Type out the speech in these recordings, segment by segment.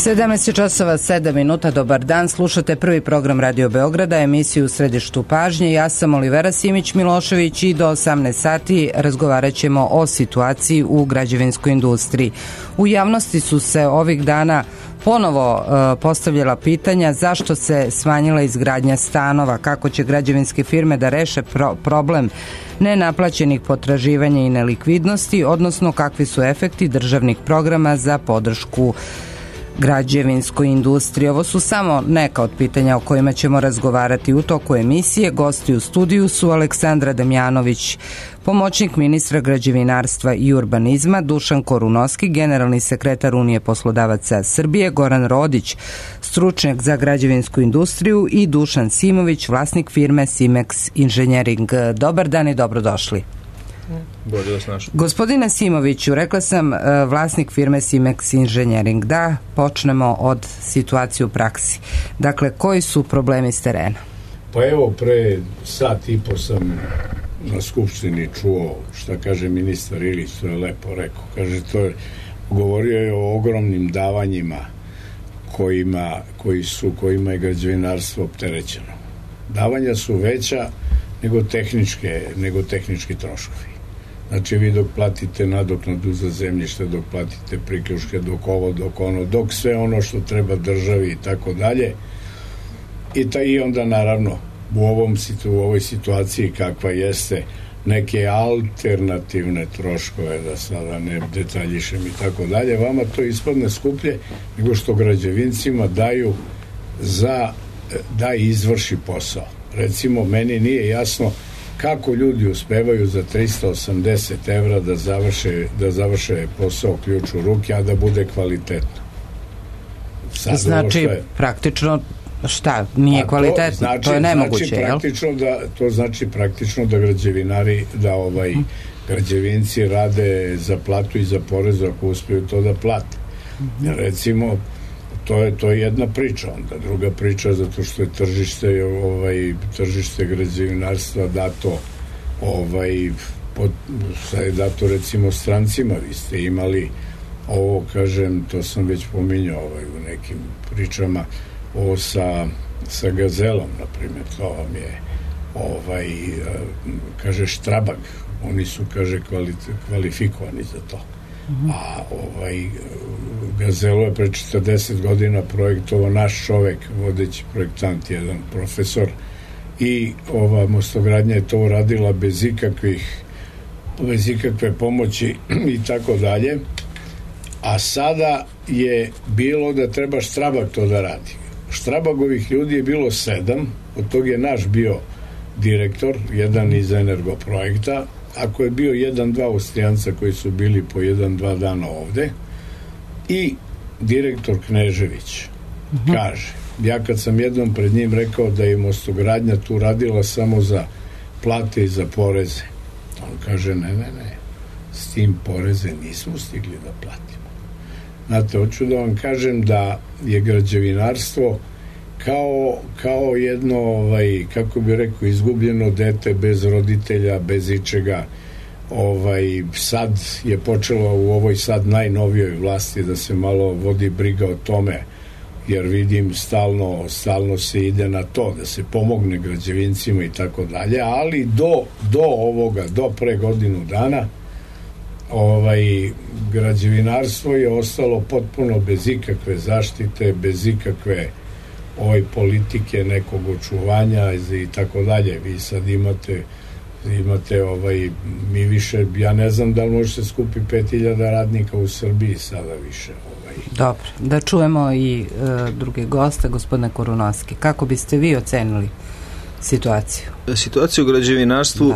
17 časova 7 minuta, dobar dan, slušate prvi program Radio Beograda, emisiju u središtu pažnje. Ja sam Olivera Simić-Milošević i do 18 sati razgovarat ćemo o situaciji u građevinskoj industriji. U javnosti su se ovih dana ponovo postavljala pitanja zašto se smanjila izgradnja stanova, kako će građevinske firme da reše problem nenaplaćenih potraživanja i nelikvidnosti, odnosno kakvi su efekti državnih programa za podršku građevinskoj industriji. Ovo su samo neka od pitanja o kojima ćemo razgovarati u toku emisije. Gosti u studiju su Aleksandra Damjanović, pomoćnik ministra građevinarstva i urbanizma, Dušan Korunoski, generalni sekretar Unije poslodavaca Srbije, Goran Rodić, stručnjak za građevinsku industriju i Dušan Simović, vlasnik firme Simex Engineering. Dobar dan i dobrodošli. Gospodine Simoviću, rekla sam vlasnik firme Simex Engineering. Da počnemo od situacije u praksi. Dakle, koji su problemi s terena? Pa evo, pre sat i po sam na skupštini čuo šta kaže ministar Ilić, to je lepo rekao. Kaže, govorio je o ogromnim davanjima kojima je građevinarstvo opterećeno. Davanja su veća nego tehnički troškovi. Znači, vi dok platite nadoknadu za zemljište, dok platite priključke, dok ovo, dok ono, dok sve ono što treba državi i tako dalje. I onda, naravno, u ovoj situaciji kakva jeste, neke alternativne troškove, da sada ne detaljišem i tako dalje, vama to ispadne skuplje nego što građevincima daju da izvrši posao. Recimo, meni nije jasno kako ljudi uspevaju za 380 evra da završe posao ključ u ruke, a da bude kvalitetno. Znači, praktično šta? Nije kvalitetno? To je nemoguće, jel? To znači praktično da građevinci rade za platu i za porez ako uspeju to da plate. Recimo, to je jedna priča. Onda druga priča, zato što je tržište građevinarstva dato dato recimo strancima. Vi ste imali ovo, kažem, to sam već pominjao u nekim pričama, ovo sa Gazelom, na primjer, to vam je kaže Štrabag, oni su, kaže, kvalifikovani za to. A Gazelo je pre 40 godina projektovao naš čovek, vodeći projektant, jedan profesor, i ova mostogradnja je to uradila bez ikakve pomoći i tako dalje. A sada je bilo da treba Štrabag to da radi. Štrabagovih ljudi je bilo 7, od tog je naš bio direktor, jedan iz Energoprojekta, ako je bio 1-2 Austrijanca koji su bili po 1-2 dana ovde, i direktor Knežević kaže, ja kad sam jednom pred njim rekao da je mostogradnja tu radila samo za plate i za poreze, on kaže ne, s tim poreze nismo stigli da platimo. Znate, hoću da vam kažem da je građevinarstvo kao jedno, kako bi rekao, izgubljeno dete bez roditelja, bez ičega. Sad je počelo u ovoj sad najnovijoj vlasti da se malo vodi briga o tome, jer vidim stalno se ide na to da se pomogne građevincima i tako dalje, ali do pre godinu dana građevinarstvo je ostalo potpuno bez ikakve zaštite, bez ikakve politike nekog očuvanja i tako dalje. Vi sad imate mi više, ja ne znam da li može se skupi 5000 radnika u Srbiji sada više. Dobro, da čujemo i druge goste, gospodine Korunoski. Kako biste vi ocenili situaciju? Situaciju u građevinarstvu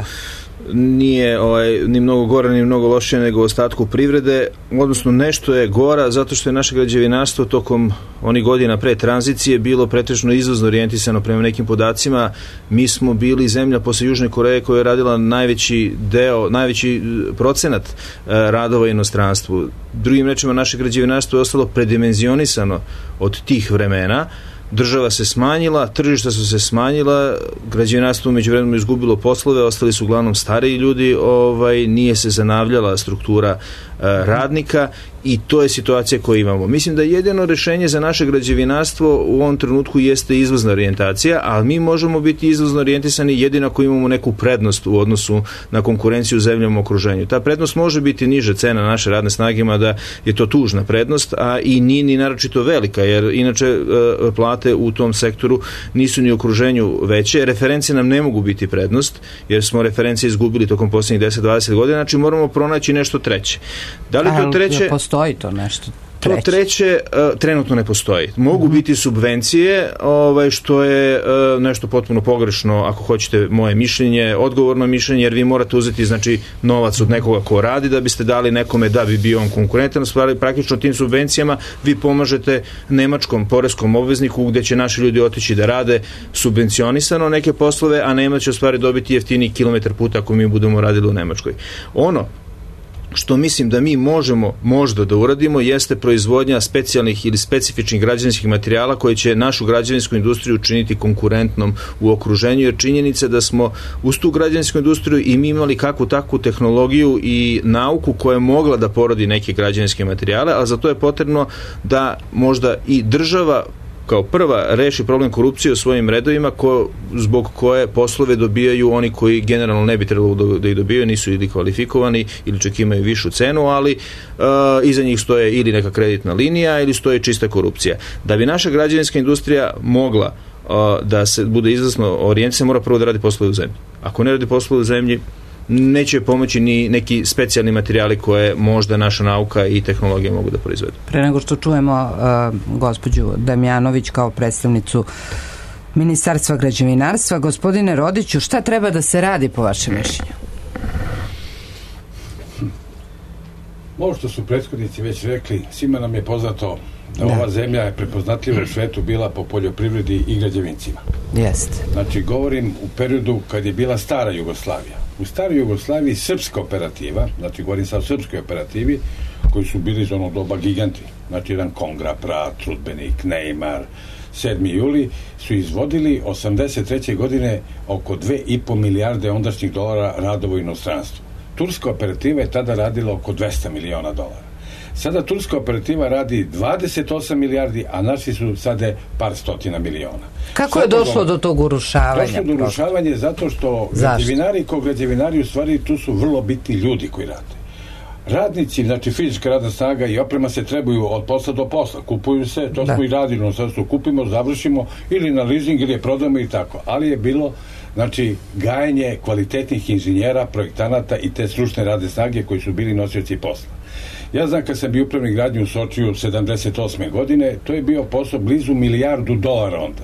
nije ni mnogo gora ni mnogo lošije nego u ostatku privrede, odnosno nešto je gora zato što je naše građevinarstvo tokom onih godina pre tranzicije bilo pretežno izvozno orijentisano. Prema nekim podacima mi smo bili zemlja posle Južne Koreje koja je radila najveći procenat radova inostranstvu. Drugim rečima, naše građevinarstvo je ostalo predimenzionisano od tih vremena, država se smanjila, tržišta su se smanjila, građevinarstvo u međuvremenu izgubilo poslove, ostali su uglavnom stariji ljudi, nije se zanavljala struktura radnika i to je situacija koju imamo. Mislim da jedino rješenje za naše građevinarstvo u ovom trenutku jeste izvozna orijentacija, ali mi možemo biti izvozno orijentisani jedino ako imamo neku prednost u odnosu na konkurenciju u zemljama u okruženju. Ta prednost može biti niža cena naše radne snage, mada je to tužna prednost, a i nije ni naročito velika, jer inače plate u tom sektoru nisu ni u okruženju veće. Referencije nam ne mogu biti prednost, jer smo referencije izgubili tokom posljednjih 10-20 godina, znači moramo pronaći nešto treće. Da li to treće... Postoji to nešto treće? To treće trenutno ne postoji. Mogu biti subvencije, što je nešto potpuno pogrešno, ako hoćete moje mišljenje, odgovorno mišljenje, jer vi morate uzeti novac od nekoga ko radi da biste dali nekome da bi bio on konkurentan. Praktično tim subvencijama vi pomažete nemačkom poreskom obvezniku gdje će naši ljudi otići da rade subvencionisano neke poslove, a Nemac će u stvari dobiti jeftiniji kilometar puta ako mi budemo radili u Nemačkoj. Ono što mislim da mi možemo možda da uradimo jeste proizvodnja specijalnih ili specifičnih građevinskih materijala koji će našu građevinsku industriju učiniti konkurentnom u okruženju, jer činjenica da smo uz tu građevinsku industriju i mi imali kakvu takvu tehnologiju i nauku koja je mogla da porodi neke građevinske materijale, a za to je potrebno da možda i država kao prva reši problem korupcije u svojim redovima zbog koje poslove dobijaju oni koji generalno ne bi trebalo da ih dobijaju, nisu ili kvalifikovani ili čak imaju višu cenu, ali iza njih stoje ili neka kreditna linija ili stoje čista korupcija. Da bi naša građevinska industrija mogla da se bude izvrsno orijentisana, mora prvo da radi poslove u zemlji. Ako ne radi poslove u zemlji, neće pomoći ni neki specijalni materijali koje možda naša nauka i tehnologija mogu da proizvedu. Pre nego što čujemo gospođu Damjanović kao predstavnicu Ministarstva građevinarstva, gospodine Rodiću, šta treba da se radi po vašem mišljenju? Ovo što su prethodnici već rekli, svima nam je poznato da ova zemlja je prepoznatljiva u svetu bila po poljoprivredi i građevincima. Jeste. Znači, govorim u periodu kad je bila stara Jugoslavija. U staroj Jugoslaviji srpska operativa, znači govorim sad o srpskoj operativi, koji su bili iz onog doba giganti, znači jedan Kongra, Prat, Trudbenik, Neymar, 7. juli, su izvodili 83. godine oko 2,5 milijarde ondašnjih dolara radova u inostranstvu. Turska operativa je tada radila oko 200 miliona dolara. Sada turska operativa radi 28 milijardi, a naši su sada par stotina miliona. Kako je došlo do tog urušavanja? Došlo do urušavanja zato što građevinari kao građevinari u stvari tu su vrlo bitni ljudi koji rade. Radnici, znači fizička radna snaga i oprema se trebaju od posla do posla. Kupuju se, to smo i radili, sad su kupimo, završimo ili na leasing ili je prodamo i tako. Ali je bilo znači gajenje kvalitetnih inženjera, projektanata i te stručne radne snage koji su bili nosioci posla. Ja znam kad sam bio upravnik gradnje u Sočiju 78. godine, to je bio posao blizu $1 milijardu onda.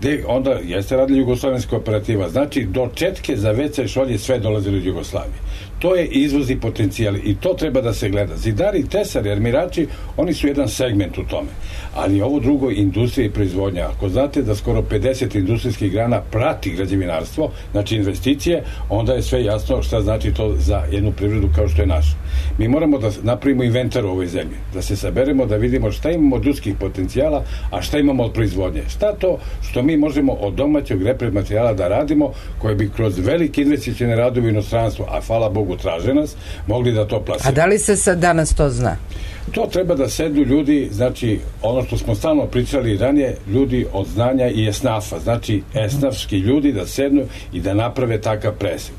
Gde onda jeste radila jugoslovenska operativa. Znači do četke za WC šolje sve dolazili od Jugoslavije. To je izvozni potencijal i to treba da se gleda. Zidari, tesari, armirači, oni su jedan segment u tome. Ali ovo drugo, industrija i proizvodnja. Ako znate da skoro 50 industrijskih grana prati građevinarstvo, znači investicije, onda je sve jasno šta znači to za jednu privredu kao što je naša. Mi moramo da napravimo inventar u ovoj zemlji, da se saberemo, da vidimo šta imamo od ljudskih potencijala, a šta imamo od proizvodnje. Šta to što mi možemo od domaćeg repromaterijala da radimo, koje bi kroz velike investicione radove u inostranstvu, a hvala Bogu traže nas, mogli da to plasiramo. A da li se sad danas to zna? To treba da sednu ljudi, znači ono što smo stalno pričali ranije, ljudi od znanja i esnafa, znači esnafski ljudi da sednu i da naprave takav presek.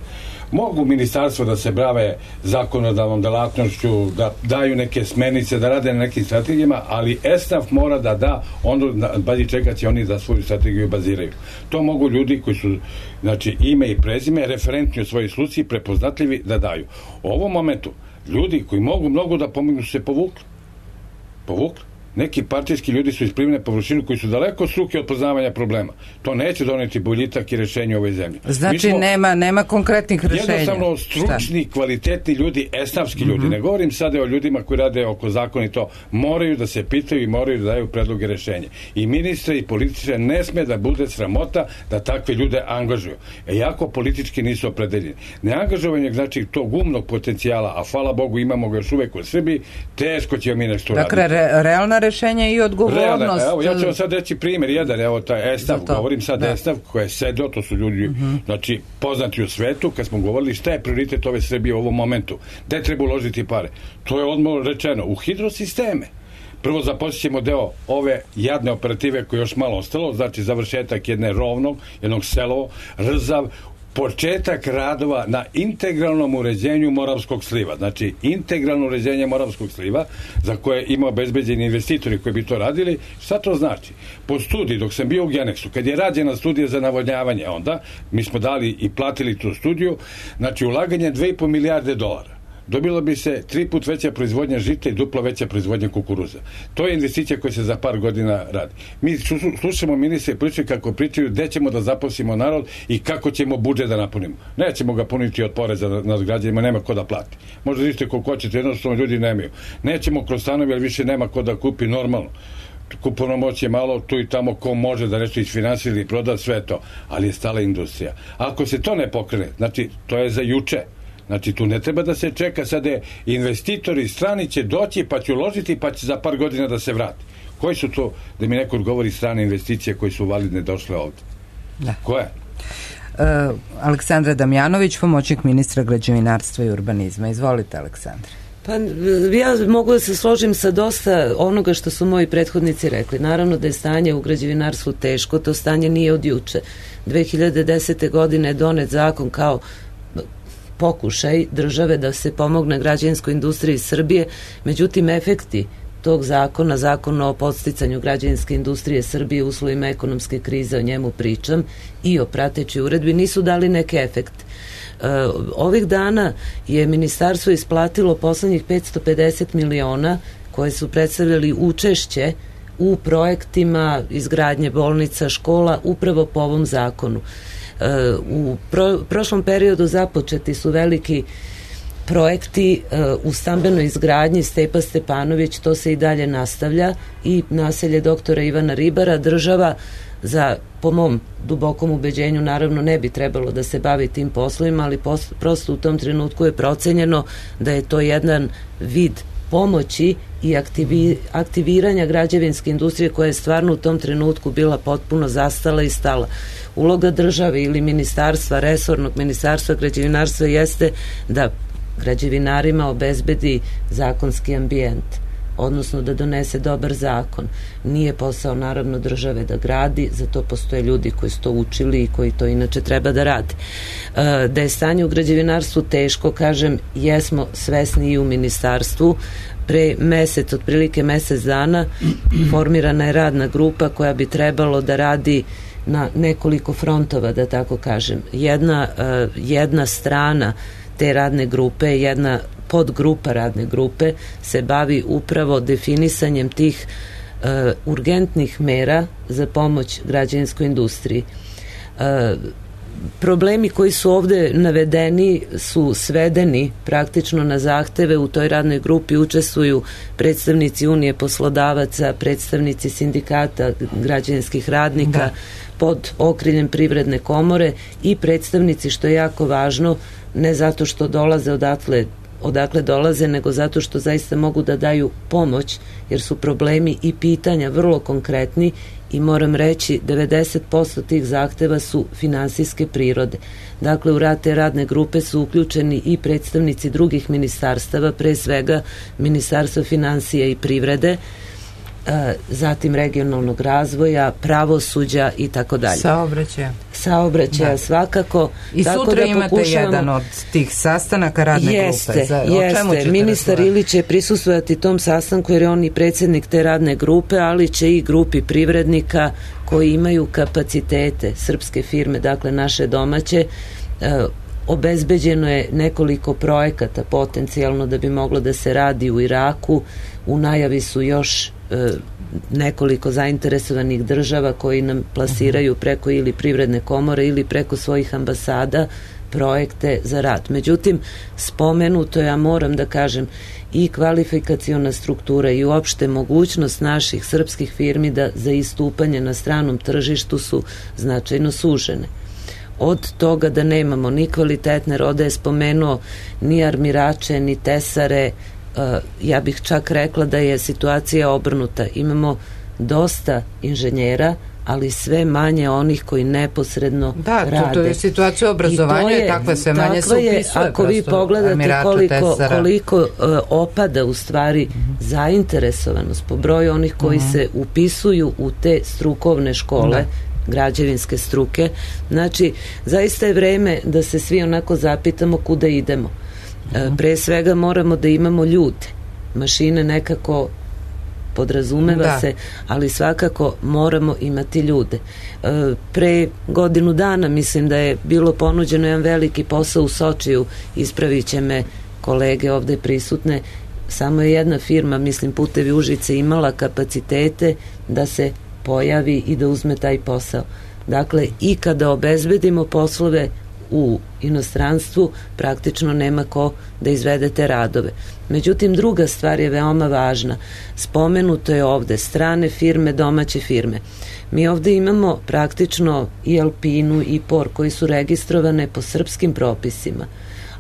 Mogu ministarstvo da se brave zakonodavnom delatnošću, da daju neke smernice, da rade na nekim strategijama, ali esnaf mora da da, onda bazi čeka će oni da svoju strategiju baziraju. To mogu ljudi koji su, znači, ime i prezime, referentni u svojoj sluci, prepoznatljivi da daju. U ovom momentu, ljudi koji mogu mnogo da pomognu su se povukli. Neki partijski ljudi su isplivne površinu koji su daleko struke od poznavanja problema. To neće doneti boljitak i rešenje u ovoj zemlji. Znači nema konkretnih rešenja. Jednostavno stručni, kvalitetni ljudi, esnafski ljudi. Ne govorim sada o ljudima koji rade oko zakona i to. Moraju da se pitaju i moraju da daju predloge rešenja. I ministre i političare ne sme da bude sramota da takve ljude angažuju. Jako politički nisu opredeljeni. Neangažovanje znači tog umnog potencijala, a hvala Bogu imamo ga još uvek u Srbiji, teško ćemo mi nešto raditi. Dakle, realna rešenja i odgovornost. Evo, ja ću vam sad reći primjer jedan, evo taj Estav, govorim sad Estav koji je sedeo, to su ljudi, znači poznati u svetu, kad smo govorili šta je prioritet ove Srbije u ovom momentu, gde treba uložiti pare. To je odmah rečeno, u hidrosisteme. Prvo započećemo deo ove jadne operative koje je još malo ostalo, znači završetak jednog Selovo, Rzav, početak radova na integralnom uređenju Moravskog sliva. Znači, integralno uređenje Moravskog sliva, za koje ima obezbeđeni investitori koji bi to radili. Šta to znači? Po studiji, dok sam bio u Genexu, kad je rađena studija za navodnjavanje onda, mi smo dali i platili tu studiju, znači ulaganje 2,5 milijarde dolara. Dobilo bi se 3 put veća proizvodnja žita i duplo veća proizvodnja kukuruza. To je investicija koja se za par godina radi. Mi slušamo ministre pričaju kako pričaju gde ćemo da zaposlimo narod i kako ćemo budžet da napunimo. Nećemo ga puniti od poreza nad građanima, nema ko da plati. Možda vidite koliko hoćete, jednostavno ljudi nemaju. Nećemo kroz stanovi, ali više nema ko da kupi normalno. Kupovna moć je malo, tu i tamo ko može da nešto isfinansira ili proda, sve to, ali je stala industrija. Ako se to ne pokrene, znači to je za juče. Znači, tu ne treba da se čeka, sada investitori strani će doći, pa će uložiti, pa će za par godina da se vrati. Koji su to, da mi neko odgovori, strane investicije koje su validne došle ovde? Da. Koje? Aleksandra Damjanović, pomoćnik ministra građevinarstva i urbanizma. Izvolite, Aleksandra. Pa ja mogu da se složim sa dosta onoga što su moji prethodnici rekli. Naravno da je stanje u građevinarstvu teško, to stanje nije od juče. 2010. godine je donet zakon kao pokušaj države da se pomogne građevinskoj industriji Srbije, međutim efekti tog zakona, zakona o podsticanju građevinske industrije Srbije u uslovima ekonomske krize, o njemu pričam, i o pratećoj uredbi, nisu dali neke efekte. Ovih dana je ministarstvo isplatilo poslednjih 550 miliona koje su predstavljali učešće u projektima izgradnje bolnica, škola, upravo po ovom zakonu. U prošlom periodu započeti su veliki projekti u stambenoj izgradnji Stepa Stepanović, to se i dalje nastavlja, i naselje doktora Ivana Ribara. Država, po mom dubokom ubeđenju, naravno ne bi trebalo da se bavi tim poslovima, ali prosto u tom trenutku je procenjeno da je to jedan vid pomoći i aktiviranja građevinske industrije koja je stvarno u tom trenutku bila potpuno zastala i stala. Uloga države ili ministarstva, resornog ministarstva građevinarstva jeste da građevinarima obezbedi zakonski ambijent, odnosno da donese dobar zakon. Nije posao naravno države da gradi, zato postoje ljudi koji su to učili i koji to inače treba da rade. Da je stanje u građevinarstvu teško, kažem, jesmo svesni i u ministarstvu. Pre otprilike mesec dana formirana je radna grupa koja bi trebalo da radi na nekoliko frontova, da tako kažem. Jedna strana te radne grupe, jedna podgrupa radne grupe se bavi upravo definisanjem tih urgentnih mera za pomoć građevinskoj industriji. Problemi koji su ovde navedeni su svedeni praktično na zahteve. U toj radnoj grupi učestvuju predstavnici Unije poslodavaca, predstavnici sindikata građevinskih radnika pod okriljem Privredne komore i predstavnici, što je jako važno, ne zato što dolaze odakle dolaze, nego zato što zaista mogu da daju pomoć, jer su problemi i pitanja vrlo konkretni i moram reći 90% tih zahteva su finansijske prirode. Dakle, u rad te radne grupe su uključeni i predstavnici drugih ministarstava, pre svega Ministarstva finansija i privrede, zatim regionalnog razvoja, pravosuđa i tako dalje. Saobraćaja svakako. I sutra imate jedan od tih sastanaka radne grupe. Jeste. Ministar Ilić će prisustvovati tom sastanku jer je on i predsjednik te radne grupe, ali će i grupi privrednika koji imaju kapacitete, srpske firme, dakle naše domaće. Obezbeđeno je nekoliko projekata potencijalno da bi moglo da se radi u Iraku. U najavi su još nekoliko zainteresovanih država koji nam plasiraju preko ili Privredne komore ili preko svojih ambasada projekte za rad. Međutim, spomenuto, ja moram da kažem, i kvalifikaciona struktura i uopšte mogućnost naših srpskih firmi da za istupanje na stranom tržištu su značajno sužene. Od toga da nemamo ni kvalitetne rode, je spomenuo, ni armirače, ni tesare, ja bih čak rekla da je situacija obrnuta. Imamo dosta inženjera, ali sve manje onih koji neposredno rade. To je situacija obrazovanja i takva sve manje se upisuje. Ako vi pogledate koliko opada u stvari zainteresovanost po broju onih koji se upisuju u te strukovne škole, građevinske struke, znači zaista je vreme da se svi onako zapitamo kuda idemo. Pre svega moramo da imamo ljude. Mašine nekako podrazumeva se, ali svakako moramo imati ljude. Pre godinu dana mislim da je bilo ponuđeno jedan veliki posao u Sočiju, ispravit će me kolege ovde prisutne, samo je jedna firma, mislim Putevi Užice, imala kapacitete da se pojavi i da uzme taj posao. Dakle, i kada obezbedimo poslove u inostranstvu, praktično nema ko da izvede te radove. Međutim, druga stvar je veoma važna. Spomenuto je ovde strane firme, domaće firme. Mi ovde imamo praktično i Alpinu i POR koji su registrovane po srpskim propisima,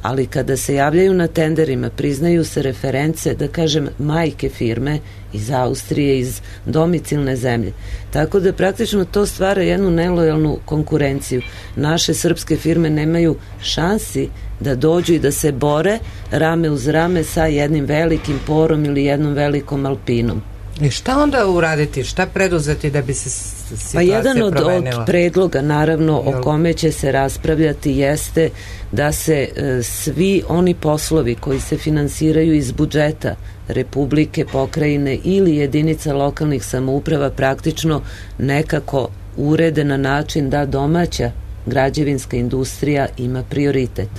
ali kada se javljaju na tenderima priznaju se reference, da kažem, majke firme iz Austrije, iz domicilne zemlje. Tako da praktično to stvara jednu nelojalnu konkurenciju. Naše srpske firme nemaju šansi da dođu i da se bore rame uz rame sa jednim velikim POR-om ili jednom velikom Alpinom. I šta onda uraditi, šta preduzeti da bi se situacija promenila? Pa jedan od predloga, naravno, o kome će se raspravljati jeste da se svi oni poslovi koji se finansiraju iz budžeta Republike, pokrajine ili jedinica lokalnih samouprava praktično nekako urede na način da domaća građevinska industrija ima prioritet.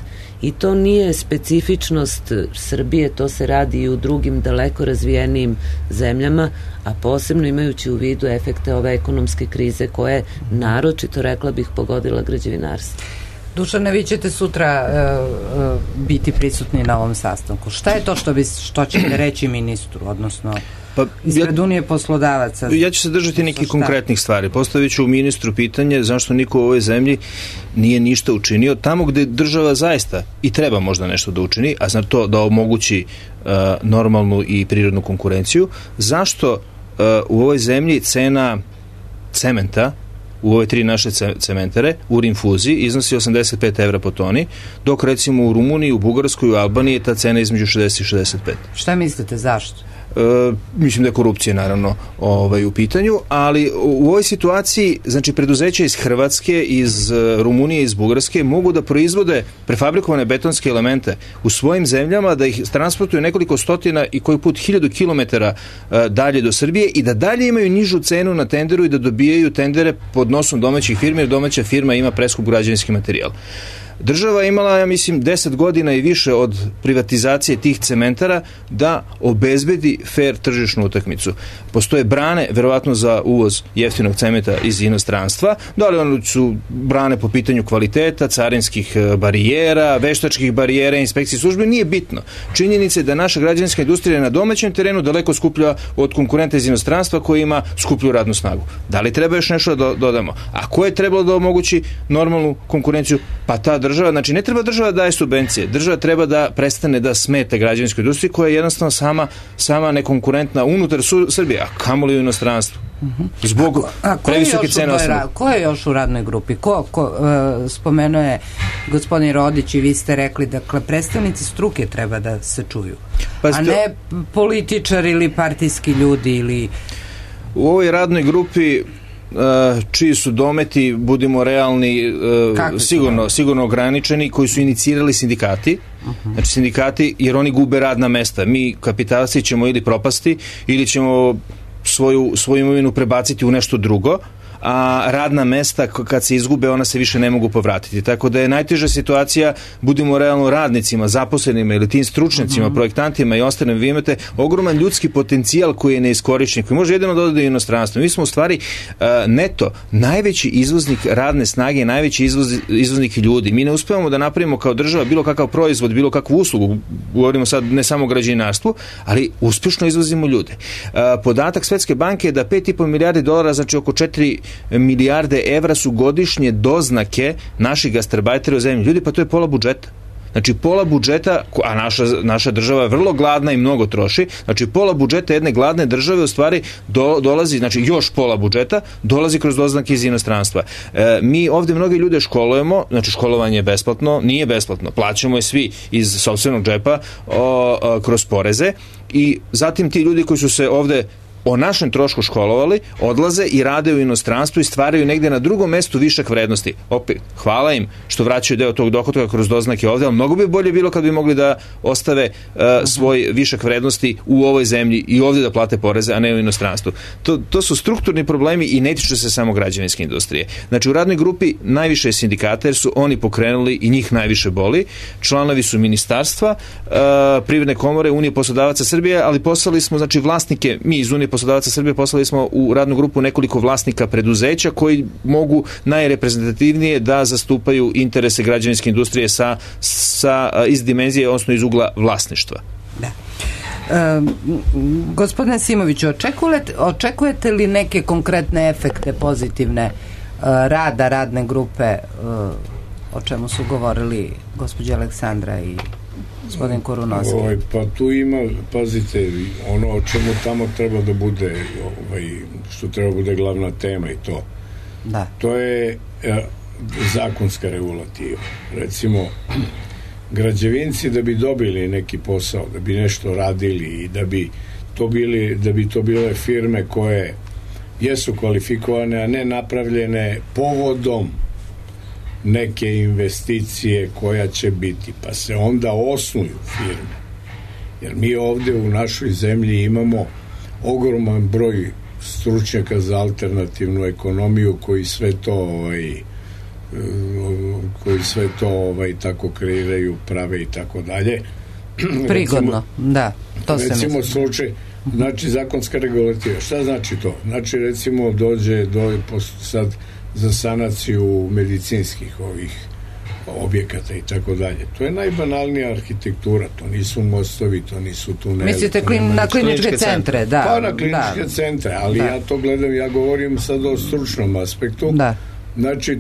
I to nije specifičnost Srbije, to se radi i u drugim daleko razvijenijim zemljama, a posebno imajući u vidu efekte ove ekonomske krize koja je naročito, rekla bih, pogodila građevinarstvo. Dušane, vi ćete sutra biti prisutni na ovom sastanku. Šta je to što ćete reći ministru, odnosno ispred Unije poslodavaca? Ja ću se držati nekih konkretnih stvari. Postavit ću ministru pitanje zašto niko u ovoj zemlji nije ništa učinio tamo gde država zaista i treba možda nešto da učini, a znači to da omogući normalnu i prirodnu konkurenciju. Zašto u ovoj zemlji cena cementa u ove 3 naše cementere u rinfuzi iznosi 85 evra po toni, dok recimo u Rumuniji, u Bugarskoj, u Albaniji je ta cena između 60 i 65. Šta mislite, zašto? Mislim da je korupcija naravno u pitanju, ali u ovoj situaciji, znači preduzeća iz Hrvatske, iz Rumunije, iz Bugarske mogu da proizvode prefabrikovane betonske elemente u svojim zemljama, da ih transportuju nekoliko stotina i koji put 1000 kilometara dalje do Srbije i da dalje imaju nižu cenu na tenderu i da dobijaju tendere pod nosom domaćih firmi, jer domaća firma ima preskup građevinski materijal. Država je imala, ja mislim, 10 godina i više od privatizacije tih cementara da obezbedi fair tržišnu utakmicu. Postoje brane, verovatno za uvoz jeftinog cementa iz inostranstva, da li one su brane po pitanju kvaliteta, carinskih barijera, veštačkih barijera, inspekcije službe, nije bitno. Činjenica je da naša građevinska industrija na domaćem terenu daleko skuplja od konkurenta iz inostranstva koji ima skuplju radnu snagu. Da li treba još nešto da dodamo? A ko je trebalo da omogući normalnu konkurenciju? Pa ta država, znači ne treba država da daje subvencije, država treba da prestane da smeta građevinskoj industriji koja je jednostavno sama nekonkurentna unutar Srbije, a kamoli u inostranstvu. Zbog previsoke cene osnova. Ko je još u radnoj grupi? Spomenuo je gospodin Rodić i vi ste rekli, dakle, predstavnici struke treba da se čuju, a ne političari ili partijski ljudi ili... U ovoj radnoj grupi čiji su dometi, budimo realni, sigurno ograničeni, koji su inicirali sindikati. Znači sindikati, jer oni gube radna mesta. Mi kapitalci ćemo ili propasti ili ćemo svoju imovinu prebaciti u nešto drugo, a radna mesta kad se izgube ona se više ne mogu povratiti. Tako da je najteža situacija, budimo realno, radnicima, zaposlenima ili tim stručnjacima, projektantima i ostalim. Vi imate ogroman ljudski potencijal koji je neiskorišćen, koji može jedino da ode u inostranstvo. Mi smo u stvari neto najveći izvoznik radne snage, najveći izvoznik ljudi. Mi ne uspevamo da napravimo kao država bilo kakav proizvod, bilo kakvu uslugu, govorimo sad ne samo o građevinarstvu, ali uspešno izvozimo ljude. Podatak Svetske banke je da 5,5 milijardi dolara, znači oko 4 milijarde evra su godišnje doznake naših gastarbajtera u zemlji. Ljudi, pa to je pola budžeta. Znači pola budžeta, a naša država je vrlo gladna i mnogo troši, znači pola budžeta jedne gladne države u stvari dolazi, znači još pola budžeta dolazi kroz doznake iz inostranstva. Mi ovde mnogi ljude školujemo, znači školovanje je besplatno, nije besplatno, plaćamo je svi iz sopstvenog džepa kroz poreze i zatim ti ljudi koji su se ovde o našem trošku školovali, odlaze i rade u inostranstvu i stvaraju negde na drugom mestu višak vrednosti. Opet, hvala im što vraćaju deo tog dohotka kroz doznake ovde, ali mnogo bi bolje bilo kad bi mogli da ostave svoj višak vrednosti u ovoj zemlji i ovde da plate poreze, a ne u inostranstvu. To su strukturni problemi i ne tiču se samo građevinske industrije. Znači, u radnoj grupi najviše je sindikata, jer su oni pokrenuli i njih najviše boli. Članovi su ministarstva, Privredne komore, Unije poslodavaca Srbije, ali poslali smo, znači, vlasnike, mi iz Unije poslodavaca Srbije poslali smo u radnu grupu nekoliko vlasnika preduzeća koji mogu najreprezentativnije da zastupaju interese građevinske industrije iz dimenzije, odnosno iz ugla vlasništva. Da. Gospodine Simoviću, očekujete li neke konkretne efekte pozitivne rada radne grupe, o čemu su govorili gospođa Aleksandra i gospodin Korunovski? Pa tu ima, pazite, ono o čemu tamo treba da bude, što treba da bude glavna tema i to. Da. To je zakonska regulativa. Recimo, građevinci da bi dobili neki posao, da bi nešto radili i da bi to bile firme koje jesu kvalifikovane, a ne napravljene povodom neke investicije koja će biti, pa se onda osnuju firme. Jer mi ovde u našoj zemlji imamo ogroman broj stručnjaka za alternativnu ekonomiju koji sve to tako kreiraju, prave i tako dalje. Prigodno, da, to se recimo misli. Slučaj, znači zakonska regulativa. Šta znači to? Znači recimo dođe sad za sanaciju medicinskih objekata i tako dalje. To je najbanalnija arhitektura, to nisu mostovi, to nisu tuneli. Mislite na kliničke centre, da. Pa na kliničke centre, ali ja to gledam, ja govorim sad o stručnom aspektu. Da. Znači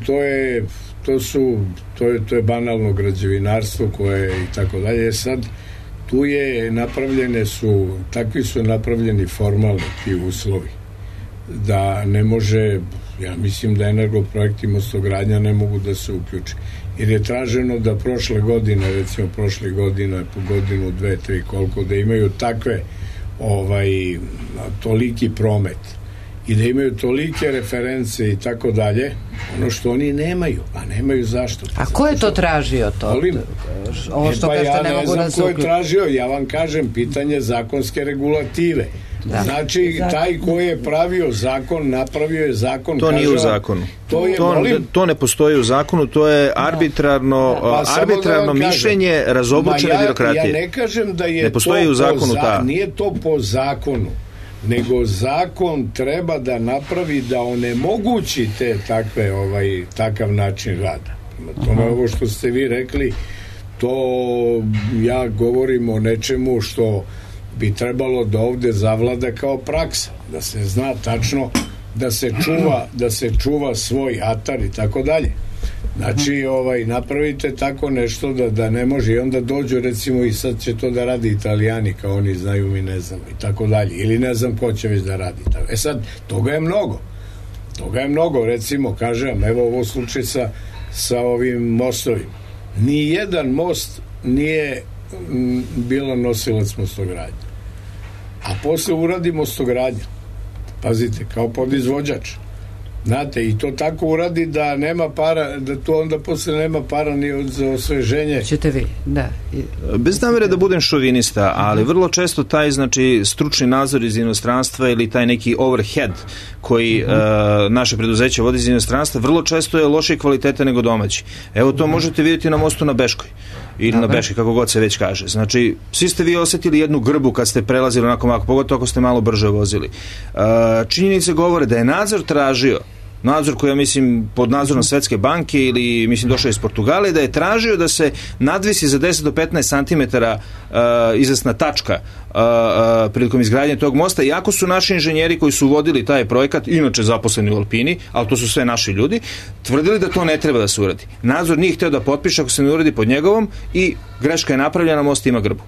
to je banalno građevinarstvo koje i tako dalje. Sad tu takvi su napravljeni formalni ti uslovi da ne može, ja mislim da Energoprojekt i Mostogradnja ne mogu da se uključe. Jer je traženo da prošle godine, po godinu, 2, 3, koliko, da imaju takve toliki promet i da imaju tolike reference i tako dalje, ono što oni nemaju, a nemaju zašto. A ko je to tražio to? Ovo što kažete ne mogu da se uključi. Ja ne znam ko je tražio, ja vam kažem, pitanje zakonske regulative. Da. Znači, taj ko je pravio zakon, napravio je zakon. To nije u zakonu. To ne postoji u zakonu, to je arbitrarno mišljenje razobučene birokratije. Ja ne kažem da je ne postoji u zakonu nije to po zakonu, nego zakon treba da napravi da onemogući takav način rada. Tome ovo što ste vi rekli, to ja govorim o nečemu što bi trebalo da ovde zavlada kao praksa, da se zna tačno da se čuva svoj atar i tako dalje. Znači, napravite tako nešto da ne može i onda dođu recimo i sad će to da radi Italijani kao oni znaju, mi ne znamo i tako dalje, ili ne znam ko će već da radi. Sad, toga je mnogo, recimo, kažem, evo ovo slučaj sa ovim mostovima. Nijedan most nije bila nosilac Mostogradnje. A posle uradi Mostogradnja. Pazite, kao podizvođač. Znate, i to tako uradi da nema para, da to onda posle nema para ni za osveženje. Ćete vi, da. Bez namere da budem šovinista, ali vrlo često taj, znači, stručni nadzor iz inostranstva ili taj neki overhead koji naše preduzeće vodi iz inostranstva, vrlo često je lošije kvalitete nego domaći. Evo to možete vidjeti na mostu na Beškoj. Ili na Beški, kako god se već kaže. Znači, svi ste vi osjetili jednu grbu kad ste prelazili onako, pogotovo ako ste malo brže vozili. Činjenice govore da je nadzor tražio nadzor koji ja mislim pod nadzorom Svetske banke ili mislim došao iz Portugale, da je tražio da se nadvisi za 10 do 15 cm izvesna tačka prilikom izgradnje tog mosta, iako su naši inženjeri koji su vodili taj projekat, inače zaposleni u Alpini, ali to su sve naši ljudi, tvrdili da to ne treba da se uradi. Nadzor nije hteo da potpiše ako se ne uradi pod njegovom i greška je napravljena, most ima grbu.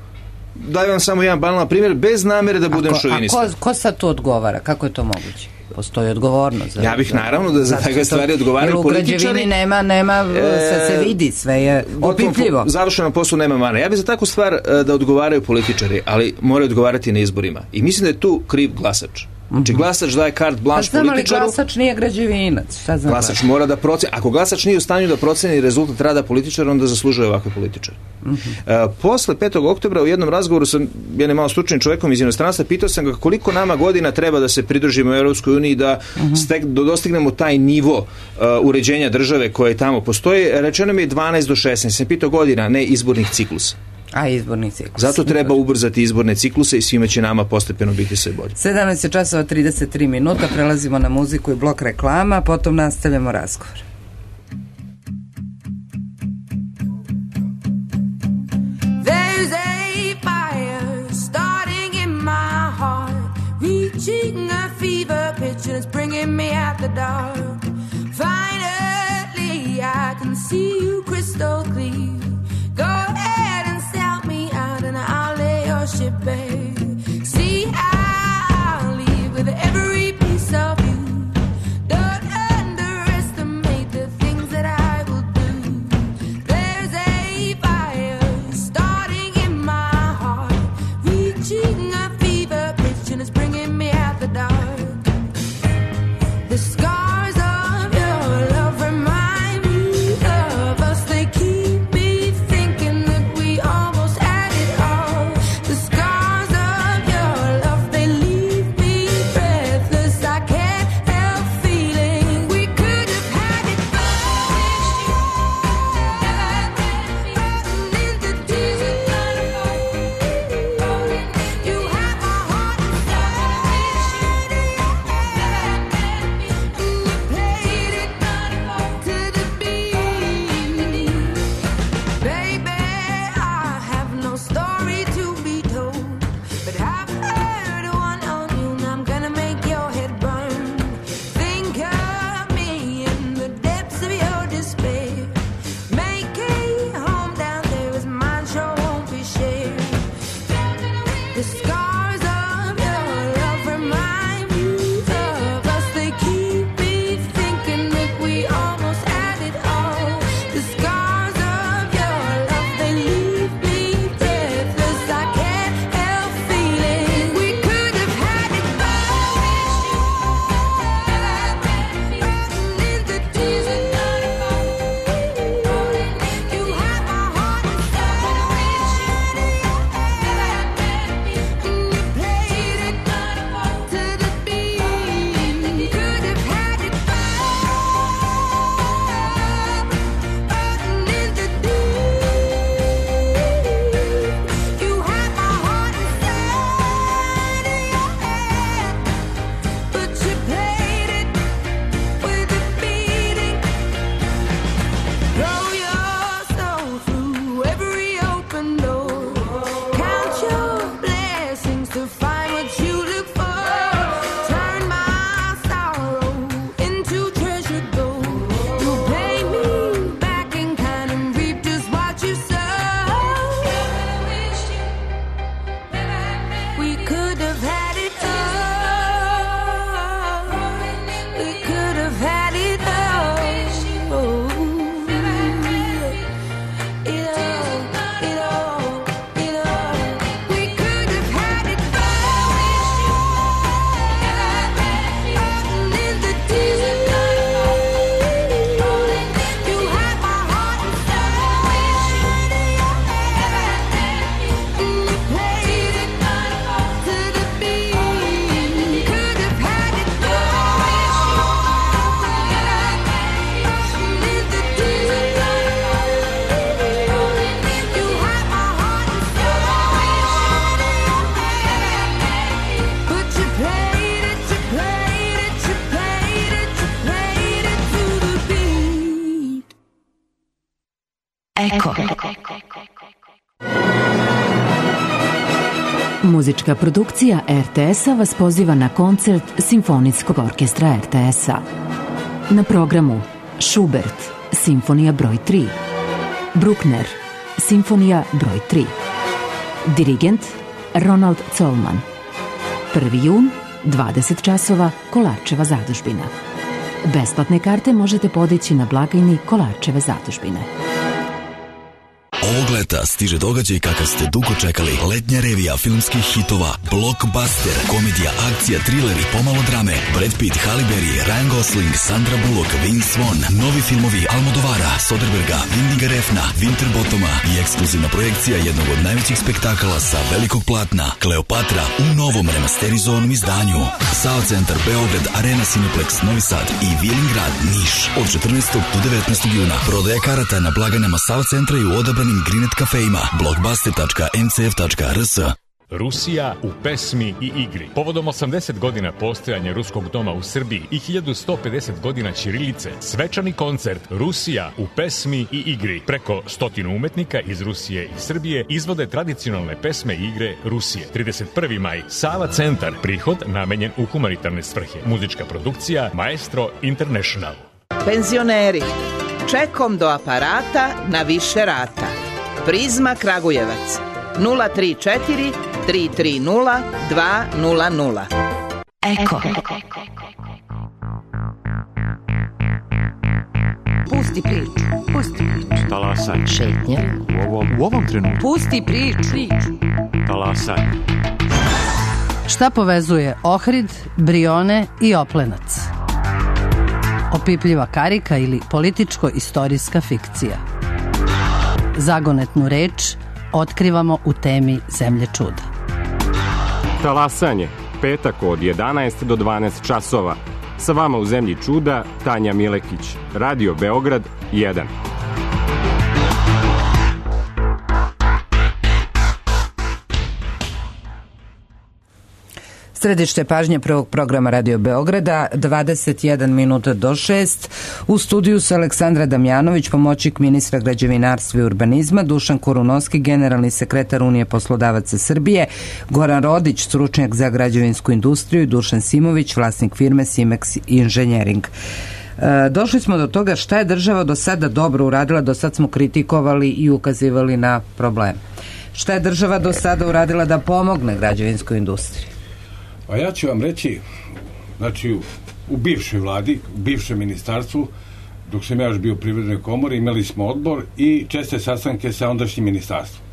Daj vam samo jedan banalan primjer, bez namere da budem šovinista. A ko sad to odgovara? Kako je to moguće? Postoji odgovornost. Ja bih naravno da za takve stvari odgovaraju političari. Jer u građevini nema se vidi, sve je opipljivo. Završenom poslu nema mana. Ja bih za takvu stvar da odgovaraju političari, ali moraju odgovarati na izborima. I mislim da je tu kriv glasač. Znači glasač daje carte blanche političaru. Pa znam, ali glasač nije građevinac. Glasač mora da proceni. Ako glasač nije u stanju da proceni rezultat rada političara, onda zaslužuje ovakve političare. Posle 5. oktobra u jednom razgovoru sa jednim malo stručnim čovjekom iz inostranstva pitao sam ga koliko nama godina treba da se pridružimo u Europskoj uniji da dostignemo taj nivo uređenja države koje tamo postoji. Rečeno mi je 12 do 16. Sam pitao godina, ne izbornih ciklusa. A izborni ciklus. Zato treba ubrzati izborne cikluse i svima će nama postepeno biti sve bolje. 17 časova 33 minuta, prelazimo na muziku i blok reklama, potom nastavljamo razgovor. There's a fire starting in my heart, reaching a fever pitch and it's bringing me out the dark. Finally I can see you crystal clear. Go ahead and sell me out and I'll lay your ship bare. See, I'll leave with every piece of you. Don't underestimate the things that I will do. There's a fire starting in my heart, reaching a fever pitch and it's bringing me out the dark. The scars of your love remind me of us. They keep me thinking that we almost had it all. The scars of your love, they leave me breathless. I can't help feeling we could have had it all. Into tears and you have my heart inside. And you played it to the beat. Baby, I have no story to be told, but I've heard one on you and I'm gonna make your head burn. Think of me in the depths of your despair. Make a home down there as mine sure won't be shared. The scars of your love remind me of us. They keep me thinking that we almost had it all. The scars of your love, they leave me breathless. I can't help feeling we could have had it all. Into tears and you have my heart inside. And Eko. Muzička produkcija RTS-a vas poziva na koncert Simfonijskog orkestra RTS-a. Na programu Schubert, Simfonija broj 3. Bruckner, Simfonija broj 3. Dirigent Ronald Zollman. 1. jun, 20 časova, Kolarčeva zadužbina. Besplatne karte možete podići na blagajni Kolarčeve zadužbine. Ovog leta stiže događaj kakav ste dugo čekali. Letnja revija filmskih hitova, blockbuster, komedija, akcija, thriller i pomalo drame. Brad Pitt, Halle Berry, Ryan Gosling, Sandra Bullock, Vince Vaughn, novi filmovi Almodovara, Soderberga, Windiga Refna, Winterbottoma i ekskluzivna projekcija jednog od najvećih spektakala sa velikog platna, Kleopatra, u novom remasterizovanom izdanju. SAO Centar Beograd, Arena Cineplex Novi Sad i Vilingrad Niš od 14. do 19. juna. Prodaja karata na blagajnama SAO Centra i u odabranim Grinet kafejima, blockbuster.ncf.rs. Rusija u pesmi i igri. Povodom 80 godina postojanja Ruskog doma u Srbiji i 1150 godina ćirilice, svečani koncert Rusija u pesmi i igri. Preko 100 umetnika iz Rusije i Srbije izvode tradicionalne pesme i igre Rusije. 31. maj, Sava Centar, prihod namenjen u humanitarne svrhe. Muzička produkcija Maestro International. Penzioneri, čekom do aparata na više rata. Prizma Kragujevac 034 330 200. Eko. Pusti priču, pusti priču. Talasaj. Šetnje. U ovom trenutku. Pusti priču. Talasaj. Šta povezuje Ohrid, Brione i Oplenac? Opipljiva karika ili političko-istorijska fikcija. Zagonetnu reč otkrivamo u temi Zemlje čuda. Talasanje. Petak od 11 do 12 časova. Sa vama u Zemlji čuda Tanja Milekić. Radio Beograd 1. Središte pažnje prvog programa Radio Beograda, 21 minuta do 6. U studiju su Aleksandra Damjanović, pomoćnik ministra građevinarstva i urbanizma, Dušan Kurunovski, generalni sekretar Unije poslodavaca Srbije, Goran Rodić, stručnjak za građevinsku industriju i Dušan Simović, vlasnik firme Simex Engineering. Došli smo do toga šta je država do sada dobro uradila, do sad smo kritikovali i ukazivali na probleme. Šta je država do sada uradila da pomogne građevinskoj industriji? A ja ću vam reći, znači u bivšoj vladi, u bivšem ministarstvu, dok sam ja još bio u Privrednoj komori, imali smo odbor i česte sastanke sa ondašnjim ministarstvom.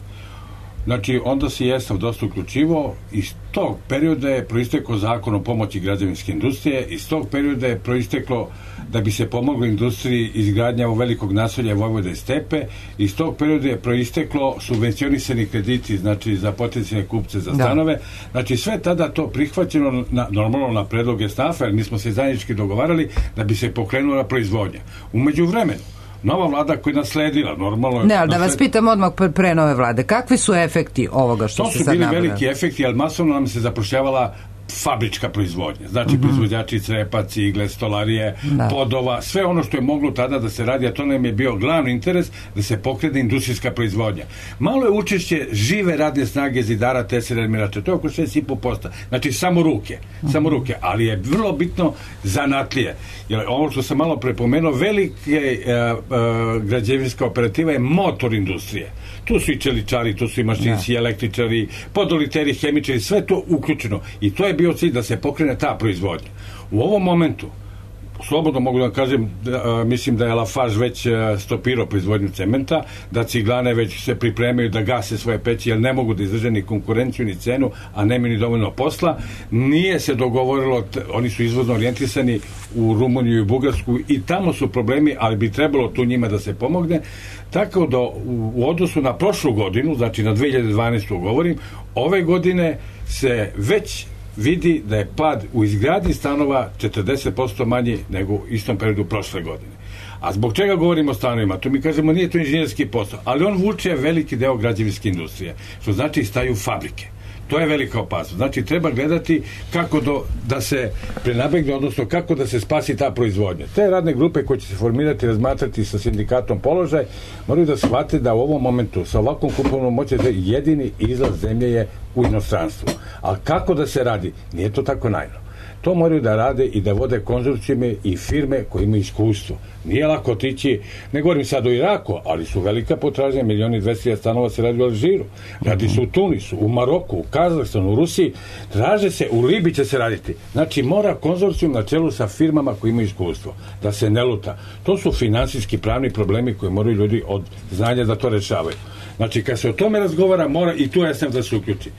Znači, onda se jesam dosta uključivao, iz tog perioda je proistekao zakon o pomoći građevinske industrije, iz tog perioda je proisteklo da bi se pomoglo industriji izgradnja u velikog naselja Vojvode Stepe, iz tog perioda je proisteklo subvencionisani krediti, znači za potencijalne kupce za stanove, znači sve tada to prihvaćeno normalno na predloge stafa, jer mi smo se zajednički dogovarali da bi se pokrenula proizvodnja. U međuvremenu, nova vlada koja je nasledila, normalno... Ne, ali da vas pitam odmah pre nove vlade, kakvi su efekti ovoga što se sad nabrali? To su bili veliki efekti, ali masovno nam se zapošljavala fabrička proizvodnja. Znači, proizvođači crepa, cigle, stolarije, podova, sve ono što je moglo tada da se radi, a to nam je bio glavni interes da se pokrene industrijska proizvodnja. Malo je učešće žive radne snage zidara, tesera, armirača. To je oko 6,5%. Znači, samo ruke. Ali je vrlo bitno zanatlije. Jer ovo što sam malo prepomenuo, velike građevinska operativa je motor industrije. Tu su i čeličari, tu su i mašinci, električari, podoliteri, hemičari, sve to uključeno. I to je bio cilj da se pokrene ta proizvodnja. U ovom momentu, slobodno mogu da kažem, mislim da je Lafarge već stopirao proizvodnju cementa, da ciglane već se pripremaju da gase svoje peći, jer ne mogu da izdrže ni konkurenciju, ni cenu, a nemaju ni dovoljno posla. Nije se dogovorilo, oni su izvozno orijentisani u Rumuniju i Bugarsku i tamo su problemi, ali bi trebalo tu njima da se pomogne. Tako da u odnosu na prošlu godinu, znači na 2012. govorim, ove godine se već vidi da je pad u izgradnji stanova 40% manji nego u istom periodu prošle godine. A zbog čega govorimo o stanovima? To mi kažemo nije to inženjerski posao, ali on vuče veliki deo građevinske industrije, što znači staju fabrike. To je velika opasnost. Znači, treba gledati kako da se prenabegne, odnosno kako da se spasi ta proizvodnja. Te radne grupe koje će se formirati, razmatrati sa sindikatom položaj, moraju da shvate da u ovom momentu sa ovakvom kupovnom moći jedini izlaz zemlje je u inostranstvu. A kako da se radi? Nije to tako najno. To moraju da rade i da vode konzorcijume i firme koje imaju iskustvo. Nije lako otići, ne govorim sad o Iraku, ali su velika potražnja, 1.200.000 stanova se radi u Alžiru, radi se u Tunisu, u Maroku, u Kazahstanu, u Rusiji, traže se, u Libiji će se raditi. Znači, mora konzorcijum na čelu sa firmama koji imaju iskustvo, da se ne luta. To su finansijski pravni problemi koje moraju ljudi od znanja da to rešavaju. Znači, kad se o tome razgovara, mora i tu SM da se uključi.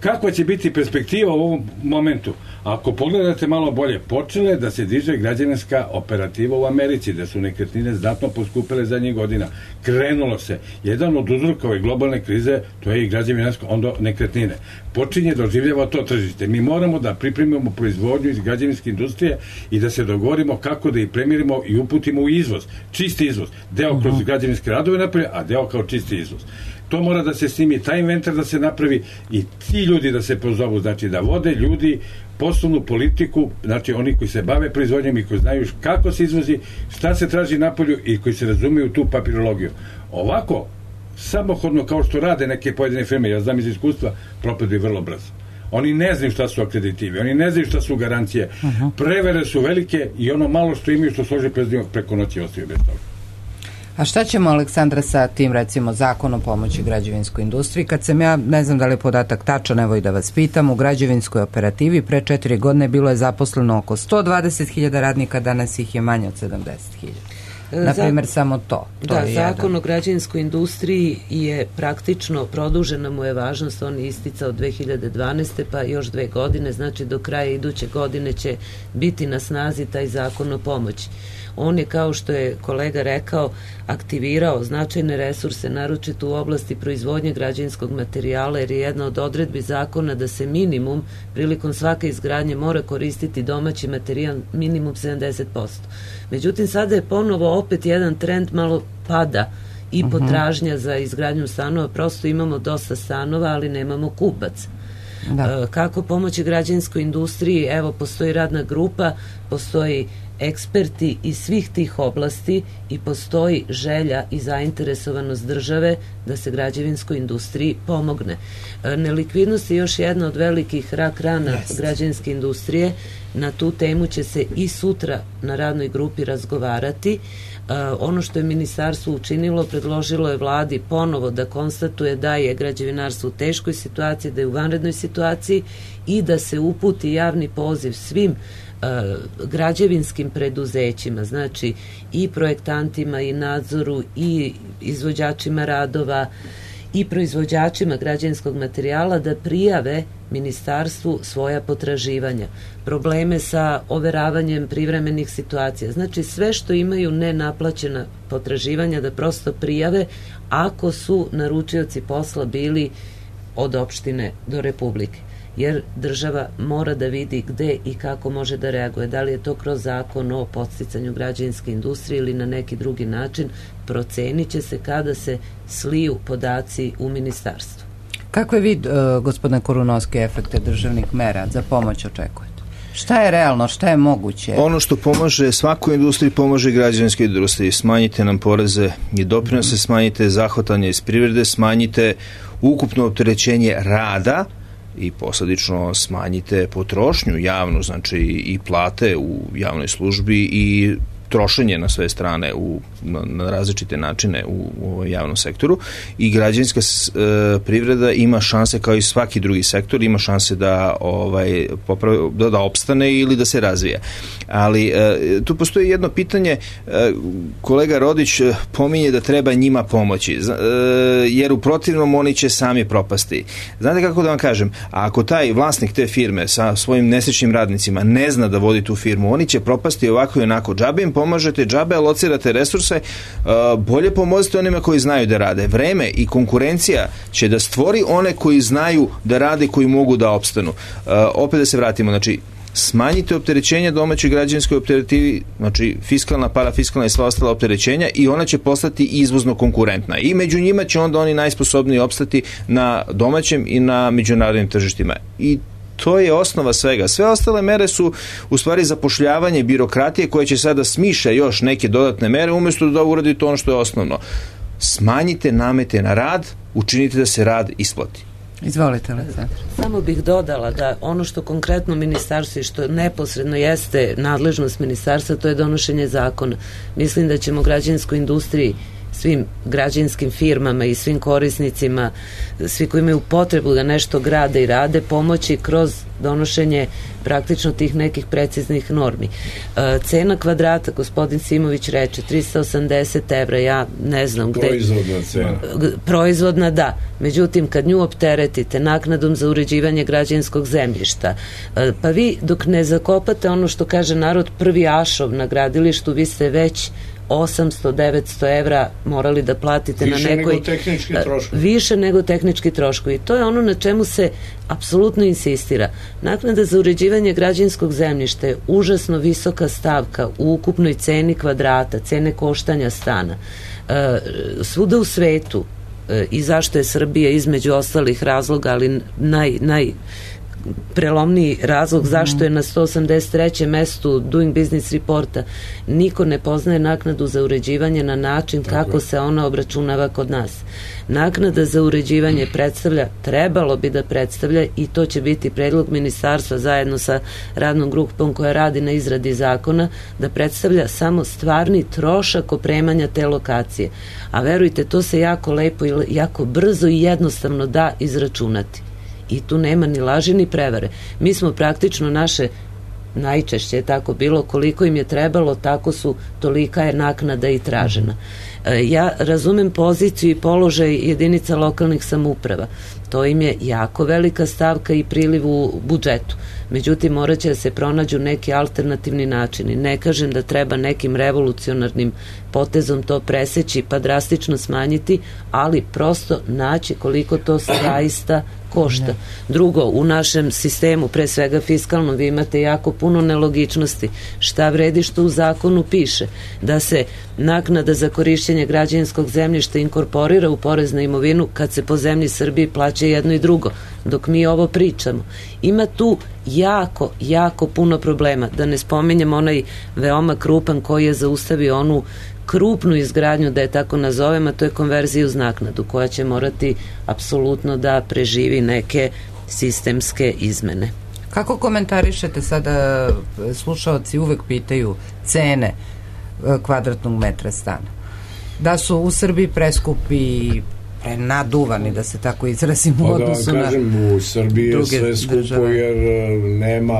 Kakva će biti perspektiva u ovom momentu? Ako pogledate malo bolje, počele da se diže građevinska operativa u Americi, da su nekretnine znatno poskupile zadnjih godina. Krenulo se. Jedan od uzroka ove globalne krize, to je i građevinarsko, onda nekretnine. Počinje da oživljava to tržište. Mi moramo da pripremimo proizvodnju iz građevinske industrije i da se dogovorimo kako da ih premirimo i uputimo u izvoz. Čisti izvoz. Deo kroz građevinske radove napravi, a deo kao čisti izvoz. To mora da se snimi, taj inventar da se napravi i ti ljudi da se pozovu, znači da vode ljudi poslovnu politiku, znači oni koji se bave proizvodnjom i koji znaju kako se izvozi, šta se traži napolju i koji se razumiju tu papirologiju. Ovako, samohodno kao što rade neke pojedine firme, ja znam iz iskustva, propad bi vrlo brzo. Oni ne znaju šta su akreditivi, oni ne znaju šta su garancije. Prevere su velike i ono malo što imaju što složi preko noći ostaju bez toga. A šta ćemo, Aleksandra, sa tim, recimo, zakon o pomoći građevinskoj industriji? Kad sam ja, ne znam da li je podatak tačan, evo i da vas pitam, u građevinskoj operativi pre 4 godine bilo je zaposleno oko 120.000 radnika, danas ih je manje od 70.000. Naprimjer, samo to. Da, zakon o građevinskoj industriji je praktično, produžena mu je važnost, on je isticao 2012. pa još 2 godine, znači do kraja iduće godine će biti na snazi taj zakon o pomoći. On je, kao što je kolega rekao, aktivirao značajne resurse, naročito u oblasti proizvodnje građevinskog materijala, jer je jedna od odredbi zakona da se minimum, prilikom svake izgradnje, mora koristiti domaći materijal minimum 70%. Međutim, sada je ponovo opet jedan trend, malo pada i potražnja za izgradnju stanova, prosto imamo dosta stanova, ali nemamo kupac. Kako pomoći građevinskoj industriji? Evo, postoji radna grupa, postoji eksperti iz svih tih oblasti i postoji želja i zainteresovanost države da se građevinskoj industriji pomogne. Nelikvidnost je još jedna od velikih rak rana građevinske industrije. Na tu temu će se i sutra na radnoj grupi razgovarati. Ono što je ministarstvo učinilo, predložilo je vladi ponovo da konstatuje da je građevinarstvo u teškoj situaciji, da je u vanrednoj situaciji i da se uputi javni poziv svim građevinskim preduzećima, znači i projektantima i nadzoru i izvođačima radova i proizvođačima građevinskog materijala da prijave ministarstvu svoja potraživanja, probleme sa overavanjem privremenih situacija, znači sve što imaju nenaplaćena potraživanja da prosto prijave ako su naručioci posla bili od opštine do Republike. Jer država mora da vidi gde i kako može da reaguje. Da li je to kroz zakon o podsticanju građevinske industrije ili na neki drugi način, procenit će se kada se sliju podaci u ministarstvu. Kakve vi, gospodine Korunovski, efekte državnih mera za pomoć očekujete? Šta je realno, šta je moguće? Ono što pomaže svakoj industriji, pomaže i građevinskoj industriji. Smanjite nam poreze i doprinose, smanjite zahvatanje iz privrede, smanjite ukupno opterećenje rada i posledično smanjite potrošnju javnu, znači i plate u javnoj službi i trošenje na sve strane na različite načine u javnom sektoru i građevinska privreda ima šanse kao i svaki drugi sektor, ima šanse da opstane ili da se razvija. Ali tu postoji jedno pitanje, kolega Rodić pominje da treba njima pomoći, jer u protivnom oni će sami propasti. Znate kako da vam kažem, ako taj vlasnik te firme sa svojim nesrećnim radnicima ne zna da vodi tu firmu, oni će propasti ovako i onako. Džabe im pomažete, džabe alocirate resurse, bolje pomozite onima koji znaju da rade. Vreme i konkurencija će da stvori one koji znaju da rade, koji mogu da opstanu. Opet da se vratimo, znači smanjite opterećenja domaćoj građanskoj operativi, znači fiskalna, parafiskalna i sva ostala opterećenja, i ona će postati izvozno konkurentna. I među njima će onda oni najsposobniji opstati na domaćem i na međunarodnim tržištima. I to je osnova svega. Sve ostale mere su u stvari zapošljavanje birokratije koja će sada smišlja još neke dodatne mere umjesto da uradite ono što je osnovno. Smanjite namete na rad, učinite da se rad isplati. Izvolite, Aleksandra. Samo bih dodala da ono što konkretno ministarstvo i što neposredno jeste nadležnost ministarstva, to je donošenje zakona. Mislim da ćemo građanskoj industriji, svim građanskim firmama i svim korisnicima, svi koji imaju potrebu da nešto grade i rade, pomoći kroz donošenje praktično tih nekih preciznih normi. Cena kvadrata, gospodin Simović reče, 380 evra, ja ne znam gde. Proizvodna cena. Proizvodna, da. Međutim, kad nju opteretite naknadom za uređivanje građevinskog zemljišta, pa vi dok ne zakopate ono što kaže narod prvi ašov na gradilištu, vi ste već 800-900 evra morali da platite više na nekoj... Nego tehnički troškovi. Više nego tehnički troškovi. I to je ono na čemu se apsolutno insistira. Naknada za uređivanje građevinskog zemljišta je užasno visoka stavka u ukupnoj ceni kvadrata, cene koštanja stana. Svuda u svetu, i zašto je Srbija između ostalih razloga, ali prelomniji razlog zašto je na 183. mestu Doing Business reporta, niko ne poznaje naknadu za uređivanje na način kako se ona obračunava kod nas. Naknada za uređivanje trebalo bi da predstavlja, i to će biti predlog ministarstva zajedno sa radnom grupom koja radi na izradi zakona, da predstavlja samo stvarni trošak opremanja te lokacije. A verujte, to se jako lepo i jako brzo i jednostavno da izračunati. I tu nema ni laži ni prevare. Mi smo praktično naše, najčešće je tako bilo, koliko im je trebalo, tolika je naknada i tražena. Ja razumem poziciju i položaj jedinica lokalnih samouprava. To im je jako velika stavka i priliv u budžetu. Međutim, morat će da se pronađu neki alternativni načini. Ne kažem da treba nekim revolucionarnim potezom to preseći pa drastično smanjiti, ali prosto naći koliko to zaista košta. Drugo, u našem sistemu, pre svega fiskalno, vi imate jako puno nelogičnosti. Šta vredi što u zakonu piše? Da se naknada za korišćenje građevinskog zemljišta inkorporira u porez na imovinu kad se po zemlji Srbiji plaća jedno i drugo, dok mi ovo pričamo. Ima tu jako puno problema. Da ne spominjem onaj veoma krupan koji je zaustavio onu krupnu izgradnju, da je tako nazovem, a to je konverzija uz naknadu, koja će morati apsolutno da preživi neke sistemske izmene. Kako komentarišete sada, slušaoci uvek pitaju cene kvadratnog metra stana? Da su u Srbiji preskupi, naduvani, da se tako izrazim, u odnosu na u Srbiji je sve skupo države, jer nema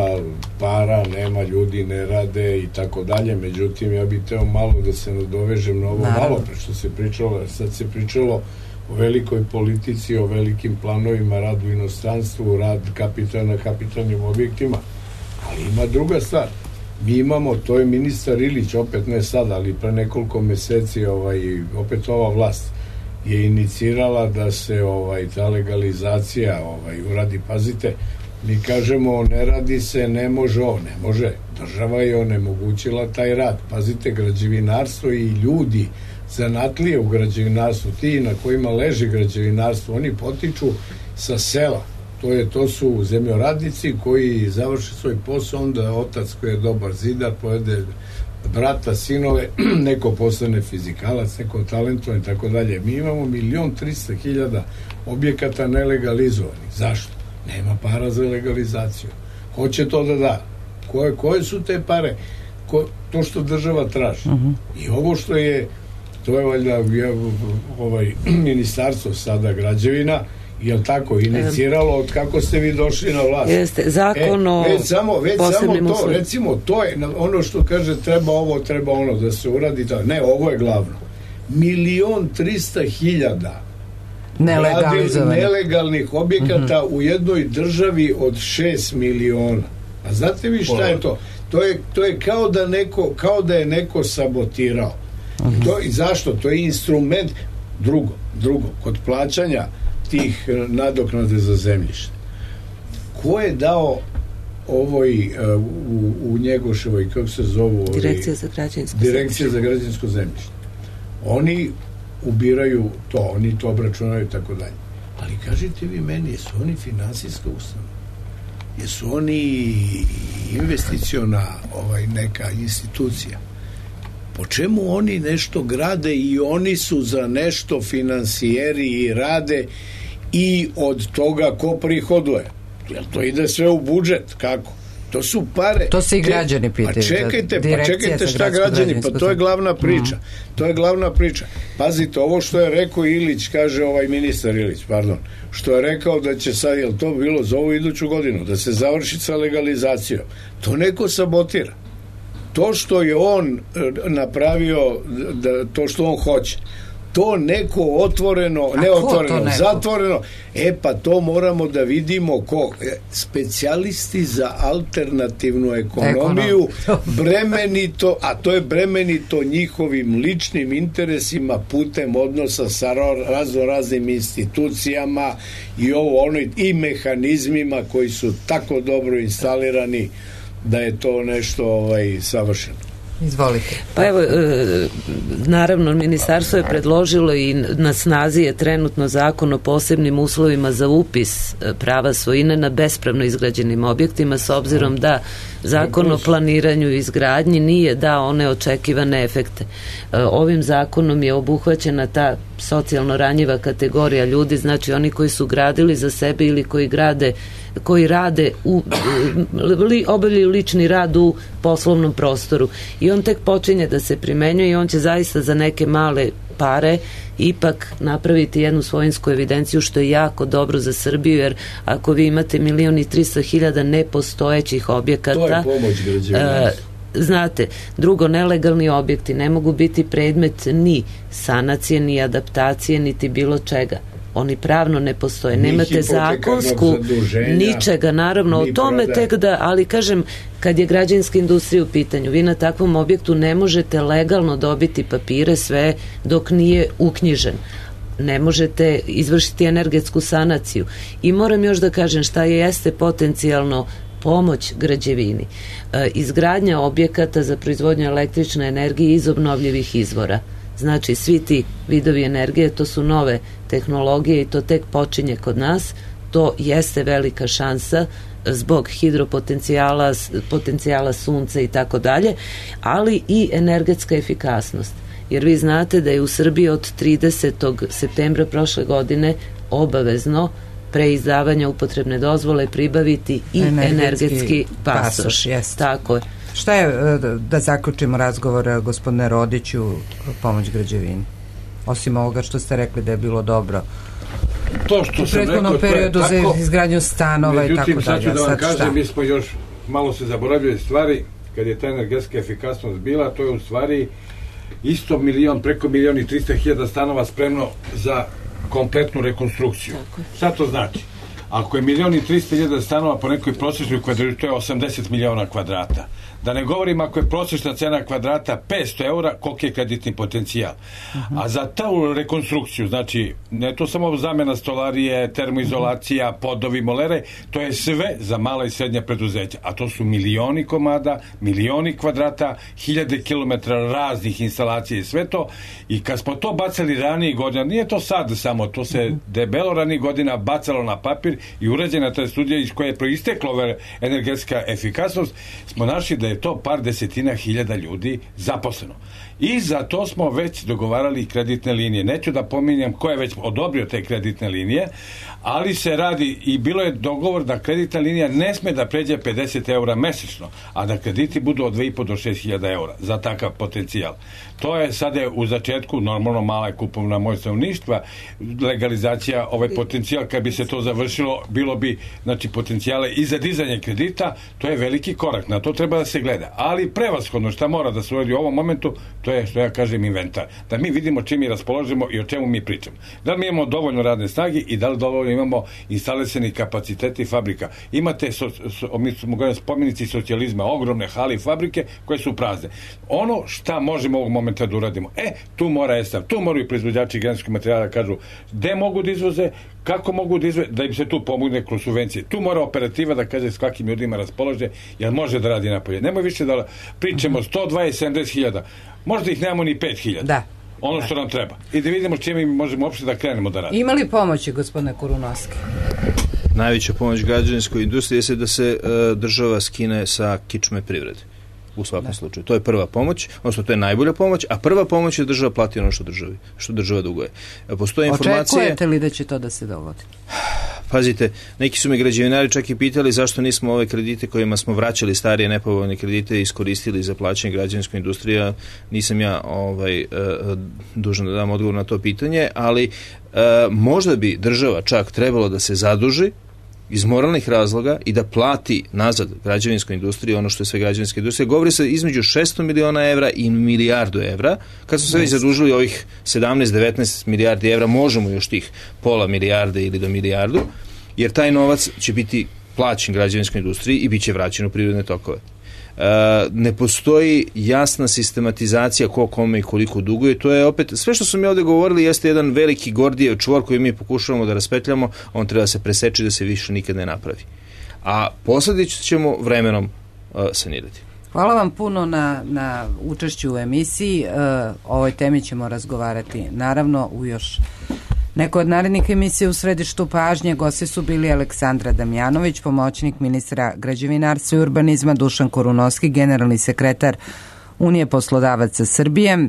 para, nema ljudi, ne rade i tako dalje. Međutim, ja bih teo malo da se nadovežem na ovo malo što se pričalo. Sad se pričalo o velikoj politici, o velikim planovima, rad u inostranstvu, rad na kapitalnim objektima, ali ima druga stvar. Mi imamo, to je ministar Ilić, opet ne sad, ali pre nekoliko meseci opet ova vlast je inicirala da se ta legalizacija uradi. Pazite, mi kažemo ne radi se, ne može. Država je onemogućila taj rad. Pazite, građevinarstvo i ljudi zanatlije u građevinarstvu, ti na kojima leži građevinarstvo, oni potiču sa sela. To su zemljoradnici koji završi svoj posao, onda otac koji je dobar zidar povede brata, sinove, neko postane fizikalac, neko talentovan i tako dalje. Mi imamo 1.300.000 objekata nelegalizovanih. Zašto? Nema para za legalizaciju. Ko će to da da? Koje su te pare? To što država traži. I ovo što je, to je valjda ministarstvo sada građevina, je tako iniciralo od kako ste vi došli na vlast. Jeste, zakon o posebnim uslovima. Recimo, to je ono što kaže treba ovo, treba ono da se uradi. Ne, ovo je glavno. 1.300.000 nelegalnih objekata u jednoj državi od 6 miliona. A znate vi šta je to? To je kao da je neko sabotirao. I zašto? To je instrument. Drugo, kod plaćanja tih nadoknade za zemljište. Ko je dao u Njegoševoj, kako se zovu? Direkcija za građansko zemljište. Oni ubiraju to, oni to obračunaju i tako dalje. Ali kažite vi meni, jesu oni finansijska ustanova? Jesu oni investiciona neka institucija? Po čemu oni nešto grade i oni su za nešto finansijeri i rade i od toga ko prihoduje? Jer to ide sve u budžet, kako? To su pare. To se i građani pitaju. Pa čekajte šta građani, pa to je glavna priča. To je glavna priča. Pazite, ovo što je rekao Ilić, kaže ministar Ilić, što je rekao da će sad, jel to bilo za ovu iduću godinu, da se završi sa legalizacijom. To neko sabotira. To što je on napravio, to što on hoće, to neko otvoreno, ne otvoreno, zatvoreno, pa to moramo da vidimo ko. Specijalisti za alternativnu ekonomiju, bremenito, a to je bremenito njihovim ličnim interesima putem odnosa sa raznim institucijama i mehanizmima koji su tako dobro instalirani da je to nešto savršeno. Izvolite. Pa evo, naravno, ministarstvo je predložilo i na snazi je trenutno zakon o posebnim uslovima za upis prava svojine na bespravno izgrađenim objektima, s obzirom da zakon o planiranju i izgradnji nije dao one očekivane efekte. Ovim zakonom je obuhvaćena ta socijalno ranjiva kategorija ljudi, znači oni koji su gradili za sebe ili koji rade obavljaju lični rad u poslovnom prostoru i on tek počinje da se primenjuje i on će zaista za neke male pare ipak napraviti jednu svojinsku evidenciju, što je jako dobro za Srbiju, jer ako vi imate 1.300.000 nepostojećih objekata, to je pomoć građanima. Znate, drugo, nelegalni objekti ne mogu biti predmet ni sanacije, ni adaptacije, niti bilo čega. Oni pravno ne postoje. Nemate zakonsku ničega, naravno, o tome tek da, ali kažem, kad je građevinska industrija u pitanju, vi na takvom objektu ne možete legalno dobiti papire sve dok nije uknjižen. Ne možete izvršiti energetsku sanaciju. I moram još da kažem šta jeste potencijalno pomoć građevini. Izgradnja objekata za proizvodnju električne energije iz obnovljivih izvora. Znači, svi ti vidovi energije, to su nove tehnologije i to tek počinje kod nas. To jeste velika šansa zbog hidropotencijala, potencijala sunca i tako dalje, ali i energetska efikasnost. Jer vi znate da je u Srbiji od 30. septembra prošle godine obavezno pre izdavanja upotrebne dozvole pribaviti i energetski pasoš. Tako je. Šta je, da zaključimo razgovor, gospodine Rodiću, pomoć građevini? Osim ovoga što ste rekli da je bilo dobro. To što u prethodnom periodu za izgradnju stanova i tako dalje. Međutim, sad ću da vam kažem, mi smo još malo se zaboravili stvari, kad je ta energetska efikasnost bila, to je u stvari isto preko 1.300.000 stanova spremno za kompletnu rekonstrukciju. Šta to znači? Ako je 1.300.000 stanova po nekoj prosječnoj kvadratu, to je 80 miliona kvadrata. Da ne govorim ako je prosječna cena kvadrata 500 eura, koliko je kreditni potencijal. A za tu rekonstrukciju, znači, ne to samo zamena stolarije, termoizolacija, podovi, molere, to je sve za mala i srednja preduzeća. A to su milioni komada, milioni kvadrata, 1000 kilometara raznih instalacija i sve to. I kad smo to bacali ranije godina, nije to sad samo, to se debelo ranije godina bacalo na papir i urađena ta studija iz koje je proistekla energetska efikasnost, smo našli da je to par desetina hiljada ljudi zaposleno. I za to smo već dogovarali kreditne linije. Neću da pominjem ko je već odobrio te kreditne linije, ali se radi i bilo je dogovor da kreditna linija ne sme da pređe 50 eura mesečno, a da krediti budu od 2.500 do 6.000 eura za takav potencijal. To je sada u začetku, normalno mala je kupovna moć stanovništva, legalizacija, ovaj potencijal, kad bi se to završilo, bilo bi, znači, potencijale i za dizanje kredita, to je veliki korak, na to treba da se gleda. Ali prevashodno šta mora da se uradi u ovom momentu, to je, što ja kažem, inventar. Da mi vidimo čim mi raspoložimo i o čemu mi pričamo. Da li mi imamo dovoljno radne snage i da li dovoljno imamo instalisani kapaciteti fabrika. Imate, spomenici socijalizma, ogromne hale i fabrike koje su prazne. Ono šta možemo ovog momenta da uradimo, tu mora ESAV, tu moraju proizvođači građevinskog materijala da kažu gde mogu da izvoze, kako mogu da im se tu pomogne kroz subvencije. Tu mora operativa da kaže s kakvim ljudima raspolaže, jer može da radi napolje. Nemoj više da pričamo 120-70.000, možda ih nemamo ni 5.000. Da. Ono što nam treba. I da vidimo s čime mi možemo uopšte da krenemo da radimo. Ima li pomoći, gospodine Kurunovski? Najveća pomoć građevinskoj industriji je da se država skine sa kičme privrede. U svakom slučaju. To je prva pomoć, odnosno to je najbolja pomoć, a prva pomoć je da država plati ono što država duguje. Postoje informacije... Očekujete li da će to da se dogodi? Pazite, neki su me građevinari čak i pitali zašto nismo ove kredite kojima smo vraćali starije nepovoljne kredite iskoristili za plaćanje građevinskoj industriji. Nisam ja dužan da dam odgovor na to pitanje, ali možda bi država čak trebalo da se zaduži iz moralnih razloga i da plati nazad građevinskoj industriji ono što je sve građevinska industrija. Govori se između 600 miliona evra i milijardu evra. Kad smo sve zadužili ovih 17-19 milijardi evra, možemo još tih pola milijarde ili do milijardu, jer taj novac će biti plaćen građevinskoj industriji i bit će vraćen u privredne tokove. Ne postoji jasna sistematizacija ko kome i koliko duguje. To je opet, sve što smo mi ovdje govorili jeste jedan veliki Gordijev čvor koji mi pokušavamo da raspetljamo, on treba se preseći da se više nikad ne napravi. A posljedice ćemo vremenom sanirati. Hvala vam puno na učešću u emisiji. O ovoj temi ćemo razgovarati naravno u još neko od narednih emisija u središtu pažnje. Gosti su bili Aleksandra Damjanović, pomoćnik ministra građevinarstva i urbanizma, Dušan Kurunovski, generalni sekretar Unije poslodavaca Srbije,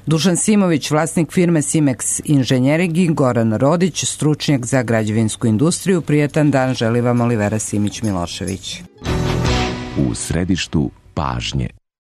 Dušan Simović, vlasnik firme Simex Inženjering, i Goran Rodić, stručnjak za građevinsku industriju. Prijatan dan želi vam Olivera Simić Milošević. U središtu pažnje.